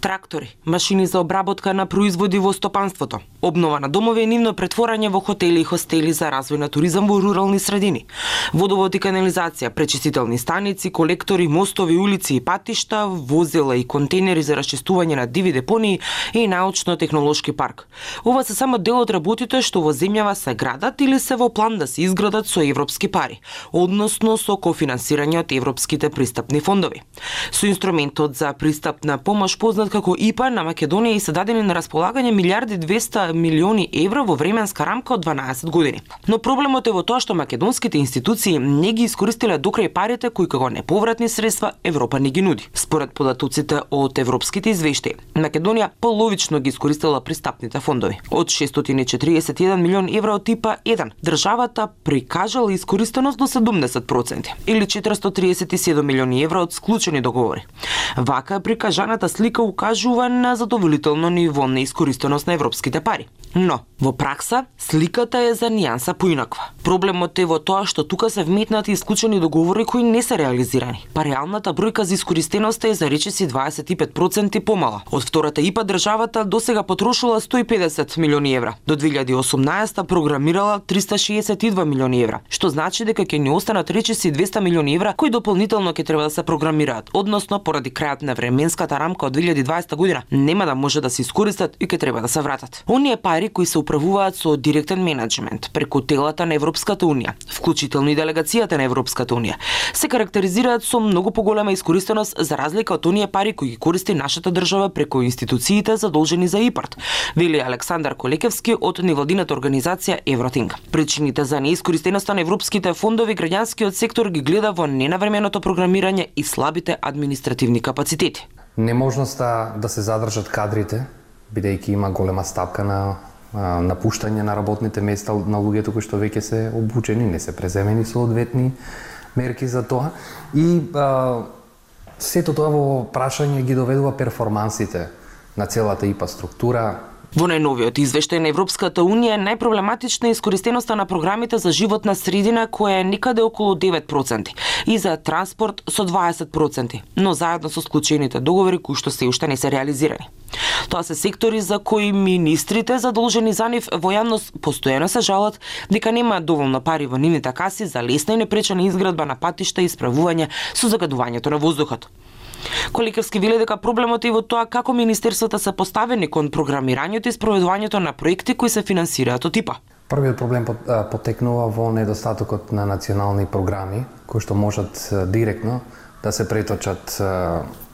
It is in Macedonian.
трактори, машини за обработка на производи во стопанството, обнова на домови и нивно претворање во хотели и хостели за развој на туризам во рурални средини, водовод и канализација, пречистителни станици, колектори, мостови, улици и патишта, возила и контейнери за расчистување на диви депонии и научно-технолошки парк. Ова се само дел од работите што во земјава се градат или се во план да се изградат со европски пари, односно со кофинансирање од европските пристапни фондови. Со инструментот за пристапна помош познат како ИПА на Македонија и се дадени на располагање милиарди 200 милиони евра во временска рамка од 12 години. Но проблемот е во тоа што македонските институции не ги искористиле докрај парите кои како неповратни средства Европа не ги нуди. Според податоците од европските извештаи, Македонија половично ги искористила пристапните фондови. Од 641 милион евра од ИПА 1, државата прикажала искористеност до 70% или 437 милиони евра од склучени договори. Вака прикажаната слика укажува на задоволително ниво на искористеност на европските пари. Но, во пракса, сликата е за нијанса поинаква. Проблемот е во тоа што тука се вметнати исклучени договори кои не се реализирани. Па реалната бројка за искористеноста е за речиси 25% помала. Од втората ИПА државата досега потрошила 150 милиони евра. До 2018 програмирала 362 милиони евра, што значи дека ќе ни останат речиси 200 милиони евра кои дополнително ќе треба да се програмираат, односно поради крајот на временската рамка од 2020 година нема да може да се искористат и ќе треба да се вратат. Оние пари кои се управуваат со директен менеджмент преку телата на Европската унија, вклучително и делегацијата на Европската унија, се карактеризираат со многу поголема искористеност за разлика од оние пари кои ги користи нашата држава преку институциите задолжени за ИПАРТ, вели Александар Колекевски од невладината организација Евротинг. Причините за неискористеноста на европските фондови граѓанскиот сектор ги гледа во ненавременото програмирање и слабите административни капацитети. Неможноста да се задржат кадрите, бидејќи има голема стапка на напуштање на работните места на луѓето кои што веќе се обучени, не се преземени соодветни мерки за тоа. И сето тоа во прашање ги доведува перформансите на целата ИПА структура. Во најновиот извештај на Европската унија најпроблематична е искористеноста на програмите за животна средина која е некаде околу 9% и за транспорт со 20%, но заедно со склучените договори кои што се уште не се реализирани. Тоа се сектори за кои министрите задолжени за нив во јавност постојано се жалат дека нема доволно пари во нивните каси за лесна и непречена изградба на патишта и справување со загадувањето на воздухот. Колекевски вели дека проблемот е во тоа како министерствата се поставени кон програмирањето и спроведувањето на проекти кои се финансираат од ИПА. Првиот проблем потекнува во недостатокот на национални програми кои што можат директно да се преточат